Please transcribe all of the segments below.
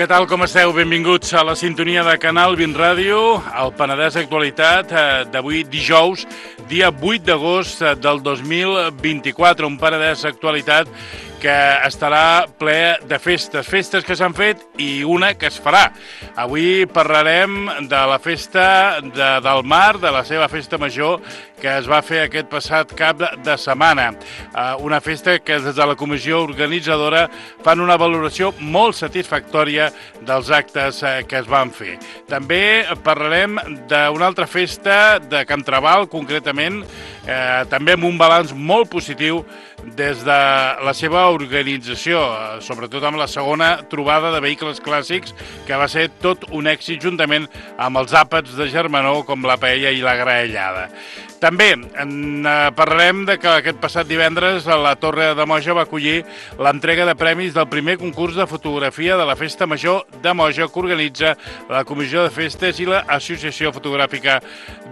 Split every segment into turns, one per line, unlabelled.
Què tal, com esteu? Benvinguts a la sintonia de Canal 20 Ràdio, al Penedès Actualitat d'avui dijous, dia 8 d'agost del 2024, un Penedès Actualitat que estarà ple de festes, festes que s'han fet i una que es farà. Avui parlarem de la festa del Mar, de la seva festa major, que es va fer aquest passat cap de setmana. Una festa que des de la comissió organitzadora fan una valoració molt satisfactòria dels actes que es van fer. També parlarem d'una altra festa de Can Trabal, concretament, també amb un balanç molt positiu des de la seva organització, sobretot amb la segona trobada de vehicles clàssics, que va ser tot un èxit juntament amb els àpats de Germanó, com la paella i la graellada. També parlarem de que aquest passat divendres la Torre de Moja va acollir l'entrega de premis del primer concurs de fotografia de la Festa Major de Moja que organitza la Comissió de Festes i l'Associació Fotogràfica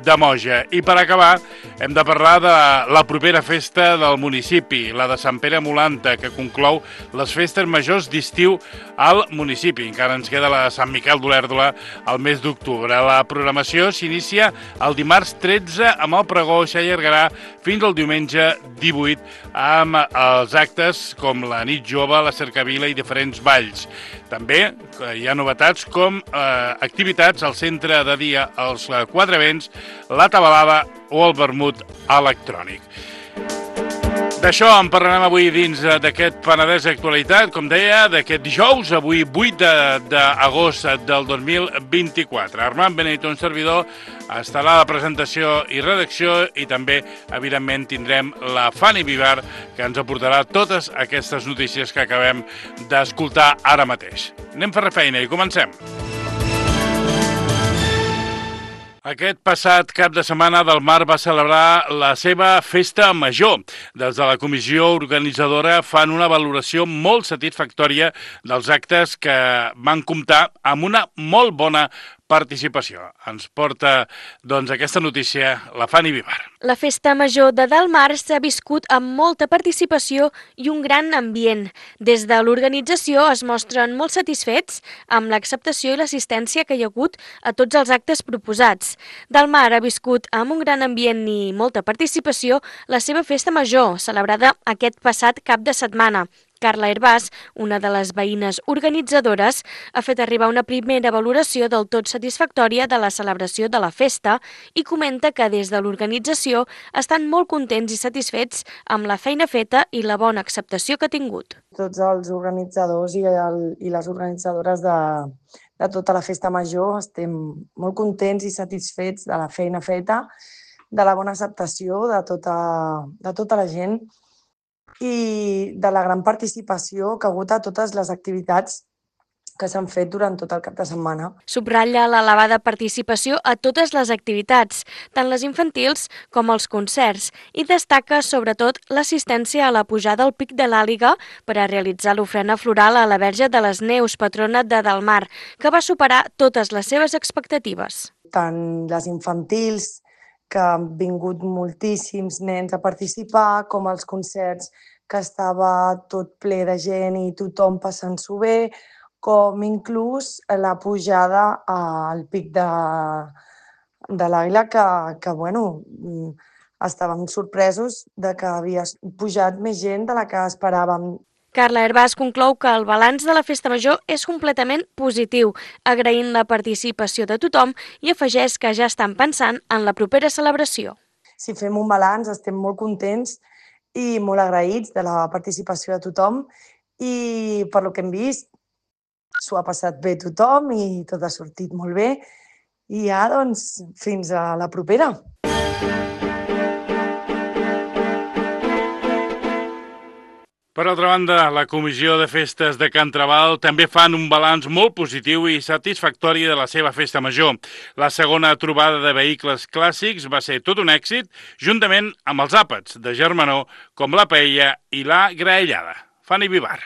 de Moja. I per acabar hem de parlar de la propera festa del municipi, la de Sant Pere Molanta, que conclou les festes majors d'estiu al municipi. Encara ens queda la de Sant Miquel d'Olèrdola al mes d'octubre. La programació s'inicia el dimarts 13 amb el pregó i s'allargarà fins al diumenge 18 amb els actes com la nit jove, la cercavila i diferents balls. També hi ha novetats com activitats al centre de dia, els quatre vents, la tabalada o el vermut electrònic. D'això en parlarem avui dins d'aquest Penedès Actualitat, com deia, d'aquest dijous, avui 8 d'agost del 2024. Armand Benito, un servidor, estarà a la presentació i redacció i també, evidentment, tindrem la Fanny Vivar, que ens aportarà totes aquestes notícies que acabem d'escoltar ara mateix. Anem a fer feina i comencem. Aquest passat cap de setmana del Mar va celebrar la seva festa major. Des de la comissió organitzadora fan una valoració molt satisfactòria dels actes que van comptar amb una molt bona participació. Ens porta, doncs, aquesta notícia la Fanny Vivar.
La festa major de Del Mar s'ha viscut amb molta participació i un gran ambient. Des de l'organització es mostren molt satisfets amb l'acceptació i l'assistència que hi ha hagut a tots els actes proposats. Del Mar ha viscut amb un gran ambient i molta participació la seva festa major, celebrada aquest passat cap de setmana. Carla Herbàs, una de les veïnes organitzadores, ha fet arribar una primera valoració del tot satisfactòria de la celebració de la festa i comenta que des de l'organització estan molt contents i satisfets amb la feina feta i la bona acceptació que ha tingut.
Tots els organitzadors i les organitzadores de tota la festa major estem molt contents i satisfets de la feina feta, de la bona acceptació de tota la gent i de la gran participació que ha hagut a totes les activitats que s'han fet durant tot el cap de setmana.
Subratlla l'elevada participació a totes les activitats, tant les infantils com els concerts, i destaca sobretot l'assistència a la pujada al Pic de l'Àliga per a realitzar l'ofrena floral a la Verge de les Neus, patrona de Del Mar, que va superar totes les seves expectatives.
Tant les infantils, que han vingut moltíssims nens a participar, com els concerts, que estava tot ple de gent i tothom passant-s'ho bé, com inclús la pujada al Pic de l'Àguila, que estàvem sorpresos de que havia pujat més gent de la que esperàvem.
Carla Herbàs conclou que el balanç de la festa major és completament positiu, agraint la participació de tothom i afegeix que ja estan pensant en la propera celebració.
Si fem un balanç, estem molt contents i molt agraïts de la participació de tothom i per lo que hem vist s'ho ha passat bé tothom i tot ha sortit molt bé i ja, doncs, fins a la propera.
Per altra banda, la Comissió de Festes de Can Trabal també fan un balanç molt positiu i satisfactori de la seva festa major. La segona trobada de vehicles clàssics va ser tot un èxit, juntament amb els àpats de Germanó, com la paella i la graellada. Fanny Vivar.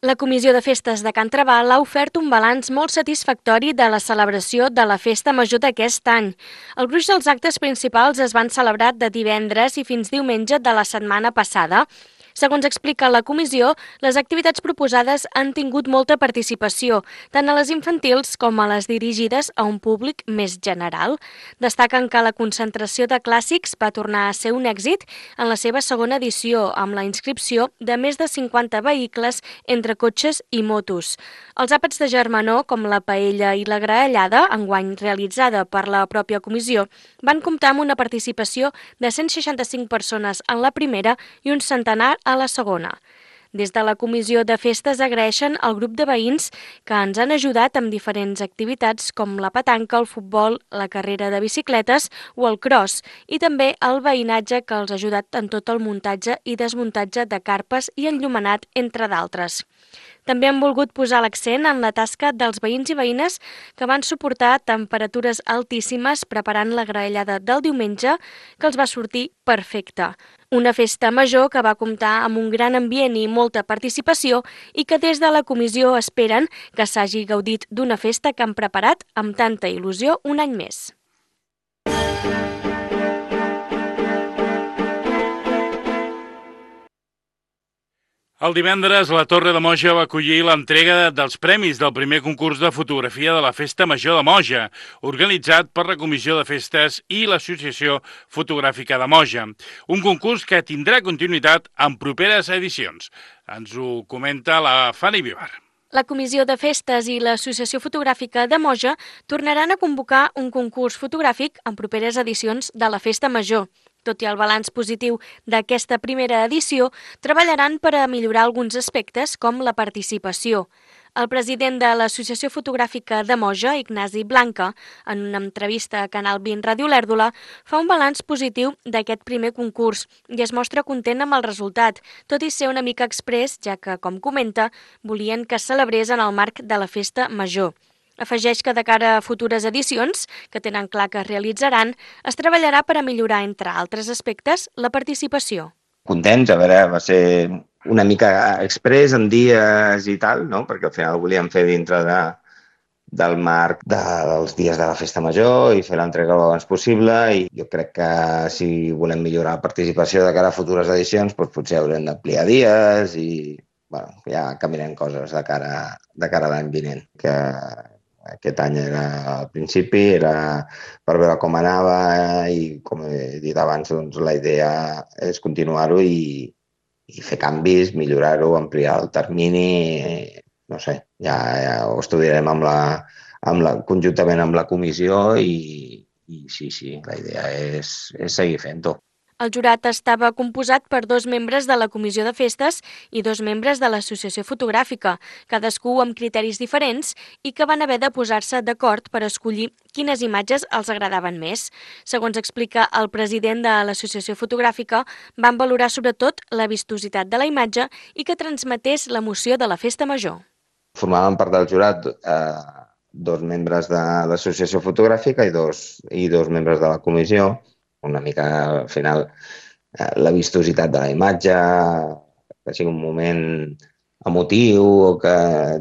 La Comissió de Festes de Can Trabal ha ofert un balanç molt satisfactori de la celebració de la Festa Major d'aquest any. El gruix dels actes principals es van celebrar de divendres i fins diumenge de la setmana passada. Segons explica la comissió, les activitats proposades han tingut molta participació, tant a les infantils com a les dirigides a un públic més general. Destaquen que la concentració de clàssics va tornar a ser un èxit en la seva segona edició, amb la inscripció de més de 50 vehicles entre cotxes i motos. Els àpats de germanor, com la paella i la graellada, enguany realitzada per la pròpia comissió, van comptar amb una participació de 165 persones en la primera i un centenar a la segona. Des de la Comissió de Festes agraeixen al grup de veïns que ens han ajudat amb diferents activitats com la petanca, el futbol, la carrera de bicicletes o el cross, i també el veïnatge que els ha ajudat en tot el muntatge i desmuntatge de carpes i enllumenat, entre d'altres. També han volgut posar l'accent en la tasca dels veïns i veïnes que van suportar temperatures altíssimes preparant la graellada del diumenge, que els va sortir perfecta. Una festa major que va comptar amb un gran ambient i molta participació i que des de la comissió esperen que s'hagi gaudit d'una festa que han preparat amb tanta il·lusió un any més.
El divendres, la Torre de Moja va acollir l'entrega dels premis del primer concurs de fotografia de la Festa Major de Moja, organitzat per la Comissió de Festes i l'Associació Fotogràfica de Moja. Un concurs que tindrà continuïtat en properes edicions. Ens ho comenta la Fanny Vivar.
La Comissió de Festes i l'Associació Fotogràfica de Moja tornaran a convocar un concurs fotogràfic en properes edicions de la Festa Major. Tot i el balanç positiu d'aquesta primera edició, treballaran per a millorar alguns aspectes com la participació. El president de l'Associació Fotogràfica de Moja, Ignasi Blanca, en una entrevista a Canal 20 Ràdio Lèrdula, fa un balanç positiu d'aquest primer concurs i es mostra content amb el resultat, tot i ser una mica exprés, ja que, com comenta, volien que es celebrés en el marc de la Festa Major. Afegeix que de cara a futures edicions, que tenen clar que es realitzaran, es treballarà per a millorar, entre altres aspectes, la participació.
Contents, a veure, va ser una mica express en dies i tal, no? Perquè al final ho volíem fer dintre del marc dels dies de la Festa Major i fer l'entrega el abans possible, i jo crec que si volem millorar la participació de cara a futures edicions, doncs potser haurem d'ampliar dies i bueno, ja canviarem coses de cara a l'any vinent, que aquest any al principi era per veure com anava i, com he dit abans, doncs, la idea és continuar-ho i fer canvis, millorar-ho, ampliar el termini, no sé, ja ho estudiarem conjuntament amb la comissió i sí, la idea és seguir fent-ho.
El jurat estava composat per 2 membres de la Comissió de Festes i 2 membres de l'Associació Fotogràfica, cadascú amb criteris diferents i que van haver de posar-se d'acord per escollir quines imatges els agradaven més. Segons explica el president de l'Associació Fotogràfica, van valorar sobretot la vistositat de la imatge i que transmetés l'emoció de la Festa Major.
Formaven part del jurat 2 membres de l'Associació Fotogràfica i dos membres de la comissió. Una mica, al final, la vistositat de la imatge, que sigui un moment emotiu o que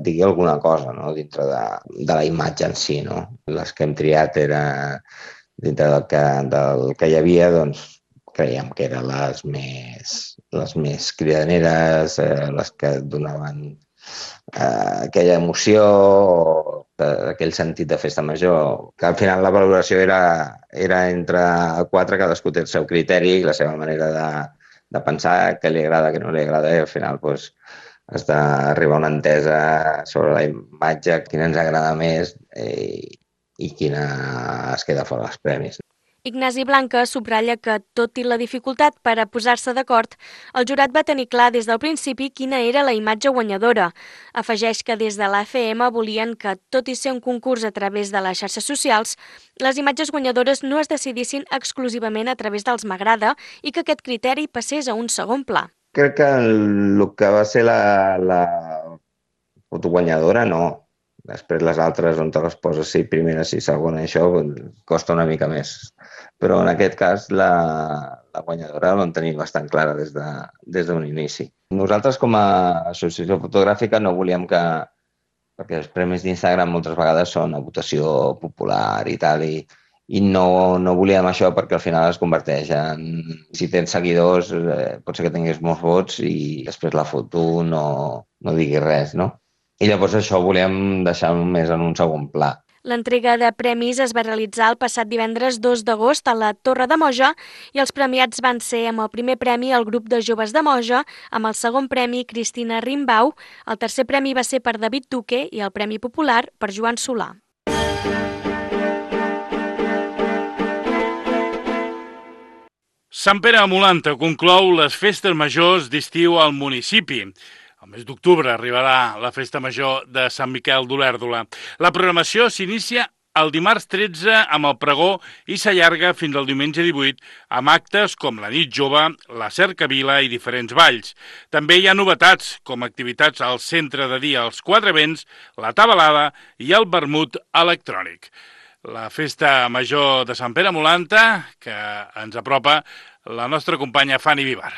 digui alguna cosa, no? Dintre de la imatge en si, no? Les que hem triat era dintre del que hi havia, doncs creiem que eren les més cridaneres, les que donaven aquella emoció, aquell sentit de festa major, que al final la valoració era entre 4, cadascú té el seu criteri i la seva manera de pensar, què li agrada, què no li agrada, i al final doncs, has d'arribar a una entesa sobre la imatge, quina ens agrada més i quina es queda fora dels premis.
Ignasi Blanca subratlla que, tot i la dificultat per a posar-se d'acord, el jurat va tenir clar des del principi quina era la imatge guanyadora. Afegeix que des de l'AFM volien que, tot i ser un concurs a través de les xarxes socials, les imatges guanyadores no es decidissin exclusivament a través dels m'agrada i que aquest criteri passés a un segon pla.
Crec que el que va ser la foto guanyadora, no. Després les altres, on te les poses, si primera, si segona, això costa una mica més. Però en aquest cas la guanyadora la vam tenir bastant clara des d'un inici. Nosaltres com a associació fotogràfica no volíem perquè els premis d'Instagram moltes vegades són a votació popular i tal, i i no volíem això perquè al final es converteix en... Si tens seguidors, pot ser que tinguis molts vots i després la foto no digui res, no? I llavors això ho volíem deixar més en un segon pla.
L'entrega de premis es va realitzar el passat divendres 2 d'agost a la Torre de Moja i els premiats van ser amb el primer premi el grup de joves de Moja, amb el segon premi Cristina Rimbau, el tercer premi va ser per David Duque i el premi popular per Joan Solà.
Sant Pere a Molanta conclou les festes majors d'estiu al municipi. El mes d'octubre arribarà la festa major de Sant Miquel d'Olèrdola. La programació s'inicia el dimarts 13 amb el pregó i s'allarga fins al diumenge 18 amb actes com la nit jove, la cercavila i diferents balls. També hi ha novetats com activitats al centre de dia als Quatre Vents, la tabalada i el vermut electrònic. La festa major de Sant Pere a Molanta, que ens apropa la nostra companya Fanny Vivar.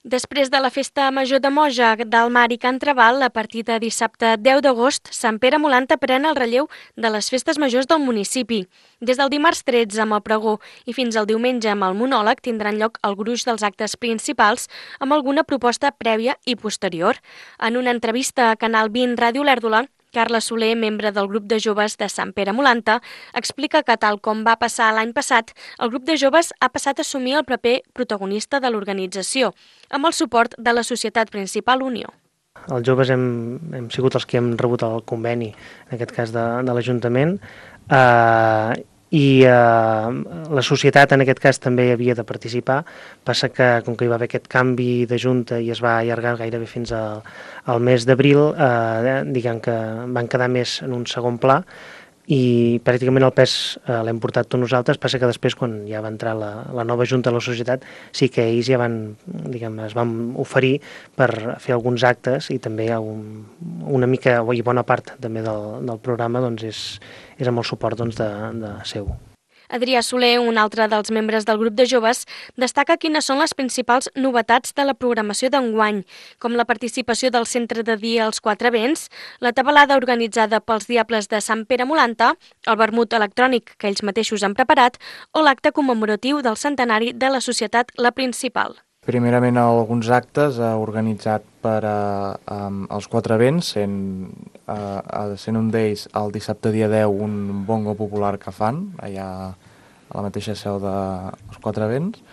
Després de la Festa Major de Moja, del Mar i Can Trabal, a partir de dissabte 10 d'agost, Sant Pere a Molanta pren el relleu de les festes majors del municipi. Des del dimarts 13 amb el pregó i fins al diumenge amb el monòleg tindran lloc el gruix dels actes principals amb alguna proposta prèvia i posterior. En una entrevista a Canal 20 Ràdio Olèrdola, Carles Soler, membre del grup de joves de Sant Pere a Molanta, explica que, tal com va passar l'any passat, el grup de joves ha passat a assumir el paper protagonista de l'organització, amb el suport de la Societat Principal Unió.
Els joves hem sigut els que hem rebut el conveni, en aquest cas de l'Ajuntament, i la societat en aquest cas també havia de participar. Passa que com que hi va haver aquest canvi de junta i es va allargar gairebé fins al mes d'abril, diguem que van quedar més en un segon pla i pràcticament el pes l'hem portat tots nosaltres. Passa que després, quan ja va entrar la nova junta de la societat, sí que ells ja es van oferir per fer alguns actes i també una mica i bona part també del programa doncs és amb el suport de seu.
Adrià Soler, un altre dels membres del grup de joves, destaca quines són les principals novetats de la programació d'enguany, com la participació del centre de dia als Quatre Vents, la tabalada organitzada pels Diables de Sant Pere a Molanta, el vermut electrònic que ells mateixos han preparat o l'acte commemoratiu del centenari de la societat La Principal.
Primerament, alguns actes organitzats per als Quatre Vents, sent un d'ells el dissabte dia 10 un bongo popular que fan allà a la mateixa seu dels Quatre Vents,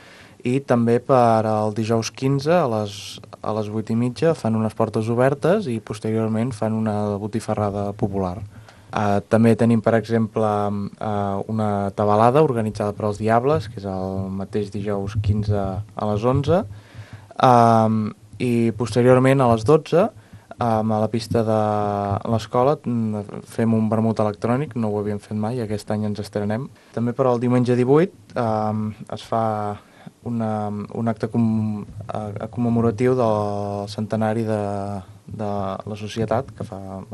i també per al dijous 15 a les 8:30 fan unes portes obertes i posteriorment fan una botifarrada popular. També tenim, per exemple, una tabalada organitzada per als Diables, que és el mateix dijous 15 a les 11, i posteriorment a les 12, a la pista de l'escola, fem un vermut electrònic, no ho havíem fet mai, aquest any ens estrenem. També per al diumenge 18 es fa un acte commemoratiu del centenari de la societat, que fa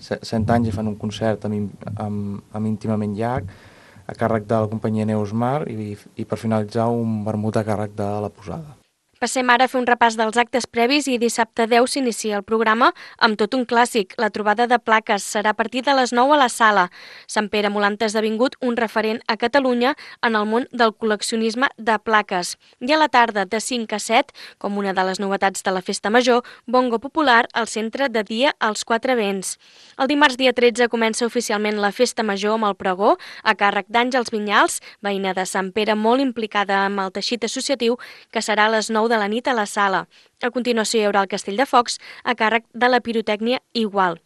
100 anys i fan un concert amb Íntimament Llac, a càrrec de la companyia Neus Mar, i per finalitzar un vermut a càrrec de la Posada.
Passem ara a fer un repàs dels actes previs i dissabte 10 s'inicia el programa amb tot un clàssic. La trobada de plaques serà a partir de les 9 a la sala. Sant Pere a Molanta ha esdevingut un referent a Catalunya en el món del col·leccionisme de plaques. I a la tarda, de 5 a 7, com una de les novetats de la Festa Major, bongo popular al centre de dia als Quatre Vents. El dimarts dia 13 comença oficialment la Festa Major amb el pregó a càrrec d'Àngels Vinyals, veïna de Sant Pere molt implicada amb el teixit associatiu, que serà a les 9 de la nit a la sala. A continuació hi haurà el Castell de Focs a càrrec de la pirotècnia igual.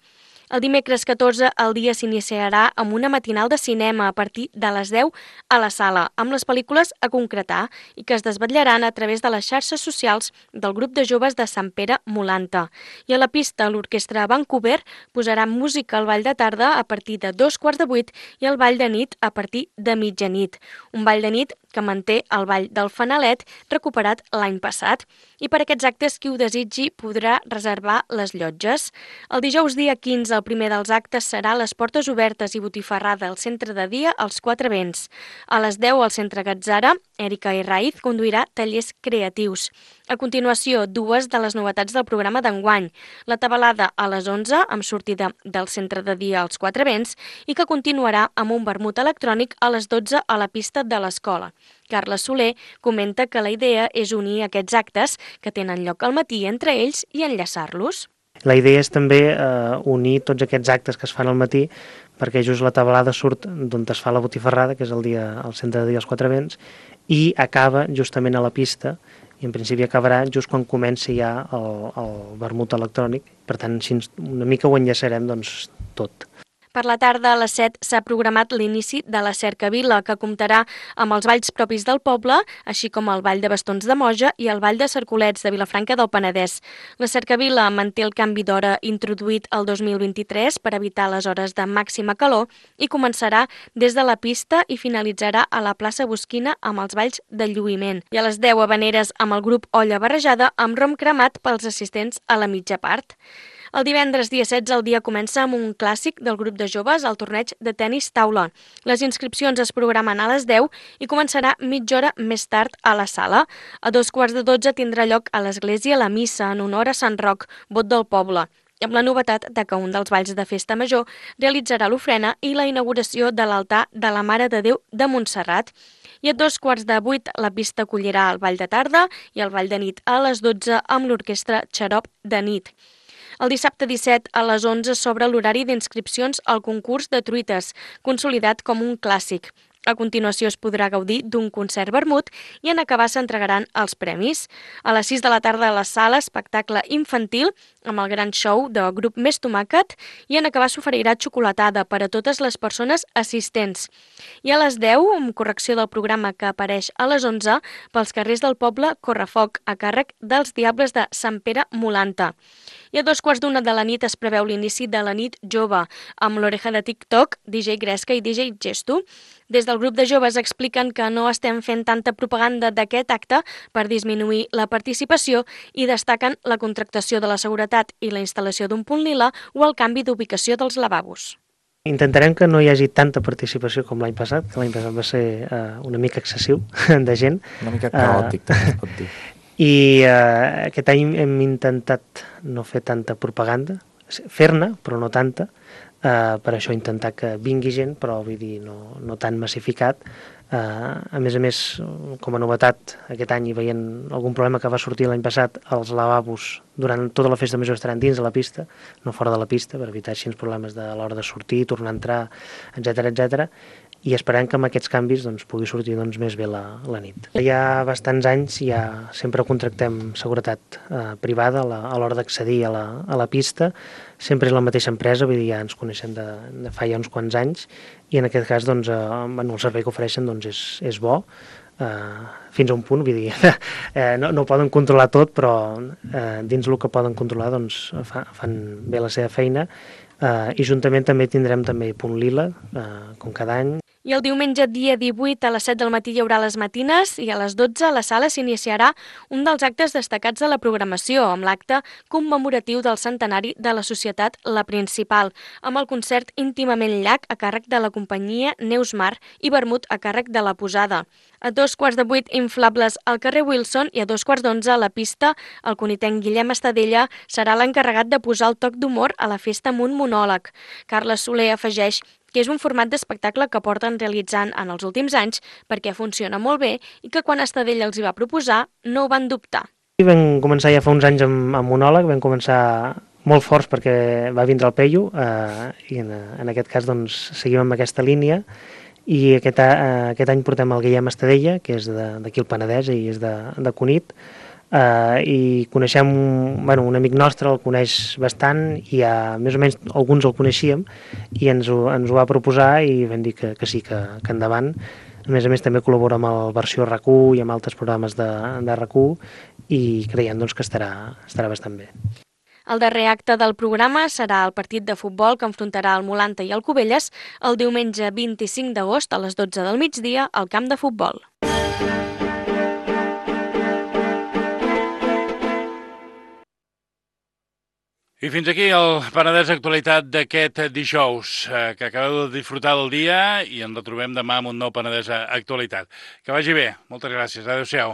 El dimecres 14 el dia s'iniciarà amb una matinal de cinema a partir de les 10 a la sala, amb les pel·lícules a concretar i que es desvetllaran a través de les xarxes socials del grup de joves de Sant Pere Molanta. I a la pista l'Orquestra Vancouver posarà música al ball de tarda a partir de 7:45 i el ball de nit a partir de mitjanit. Un ball de nit que manté el ball del Fanalet recuperat l'any passat. I per aquests actes qui ho desitgi podrà reservar les llotges. El dijous dia 15 el primer dels actes serà les portes obertes i botifarrada al centre de dia als Quatre Vents. A les 10 al centre Gatzara Erika Herraiz conduirà tallers creatius. A continuació, dues de les novetats del programa d'enguany. La tabalada a les 11, amb sortida del centre de dia als Quatre Vents, i que continuarà amb un vermut electrònic a les 12 a la pista de l'escola. Carles Soler comenta que la idea és unir aquests actes que tenen lloc al matí entre ells i enllaçar-los.
La idea és també unir tots aquests actes que es fan al matí, perquè just la tabalada surt d'on es fa la botifarrada, que és al centre de dia als Quatre Vents, i acaba justament a la pista, i en principi acabarà just quan comenci ja el vermut electrònic. Per tant, així una mica ho enllaçarem tot.
Per la tarda, a les 7, s'ha programat l'inici de la Cercavila, que comptarà amb els balls propis del poble, així com el Ball de Bastons de Moja i el Ball de Cercolets de Vilafranca del Penedès. La Cercavila manté el canvi d'hora introduït el 2023 per evitar les hores de màxima calor i començarà des de la pista i finalitzarà a la plaça Bosquina amb els balls de lluïment. I a les 10, habaneres amb el grup Olla Barrejada amb rom cremat pels assistents a la mitja part. El divendres, dia 16, el dia comença amb un clàssic del grup de joves al torneig de tennis taula. Les inscripcions es programen a les 10 i començarà mitja hora més tard a la sala. A 2:15 tindrà lloc a l'església la missa en honor a Sant Roc, vot del poble, amb la novetat de que un dels balls de festa major realitzarà l'ofrena i la inauguració de l'altar de la Mare de Déu de Montserrat. I a 7:45 la pista acollirà el ball de tarda i el ball de nit a les 12 amb l'orquestra Xarop de nit. El dissabte 17 a les 11 s'obre l'horari d'inscripcions al concurs de truites, consolidat com un clàssic. A continuació es podrà gaudir d'un concert vermut i en acabar s'entregaran els premis. A les 6 de la tarda a la sala, espectacle infantil amb el gran show del grup Més Tomàquet i en acabar s'oferirà xocolatada per a totes les persones assistents. I a les 10, amb correcció del programa que apareix a les 11, pels carrers del poble Correfoc, a càrrec dels Diables de Sant Pere Molanta. I a 2:15 de la nit es preveu l'inici de la nit jove, amb l'oreja de TikTok, DJ Gresca i DJ Gesto. Des del grup de joves expliquen que no estem fent tanta propaganda d'aquest acte per disminuir la participació i destaquen la contractació de la seguretat i la instal·lació d'un punt lila o el canvi d'ubicació dels lavabos.
Intentarem que no hi hagi tanta participació com l'any passat, que l'any passat va ser una mica excessiu de gent.
Una mica caòtic, també es pot dir.
I aquest any hem intentat no fer tanta propaganda, fer-ne, però no tanta, per això intentar que vingui gent, però vull dir, no tan massificat. A més, com a novetat, aquest any, veient algun problema que va sortir l'any passat, els lavabos durant tota la festa major estaran dins de la pista, no fora de la pista, per evitar així problemes de l'hora de sortir, tornar a entrar, etc. I esperem que amb aquests canvis pugui sortir més bé la nit. Hi ha bastants anys ja sempre contractem seguretat privada a l'hora d'accedir a la pista. Sempre és la mateixa empresa, vull dir, ja ens coneixem de fa ja uns quants anys, i en aquest cas el servei que ofereixen és bo, fins a un punt, vull dir, no poden controlar tot, però dins el que poden controlar fan bé la seva feina, i juntament també tindrem punt lila, com cada any.
I el diumenge, dia 18, a les 7 del matí hi haurà les matines i a les 12 a la sala s'iniciarà un dels actes destacats de la programació, amb l'acte commemoratiu del centenari de la Societat La Principal, amb el concert Íntimament Llac a càrrec de la companyia Neus Mar i vermut a càrrec de la Posada. A 7:15, inflables al carrer Wilson, i a 11:15 a la pista, el conitenc Guillem Estadella serà l'encarregat de posar el toc d'humor a la festa amb un monòleg. Carles Soler afegeix que és un format d'espectacle que porten realitzant en els últims anys perquè funciona molt bé i que quan Estadella els hi va proposar no ho van dubtar.
Vam començar ja fa uns anys amb monòleg, vam començar molt forts perquè va vindre el Peyu, i en aquest cas seguim amb aquesta línia, i aquest any portem el Guillem Estadella, que és d'aquí al Penedès i és de Cunit, i coneixem un amic nostre, el coneix bastant, i més o menys alguns el coneixíem, i ens ho va proposar i vam dir que sí, que endavant. A més també col·labora amb el Versió RAC1 i amb altres programes de RAC1, i creiem que estarà bastant bé.
El darrer acte del programa serà el partit de futbol que enfrontarà el Molanta i el Cubelles el diumenge 25 d'agost a les 12 del migdia al camp de futbol.
I fins aquí el Penedès Actualitat d'aquest dijous, que acabeu de disfrutar del dia i ens retrobem demà amb un nou Penedès Actualitat. Que vagi bé. Moltes gràcies. Adéu-siau.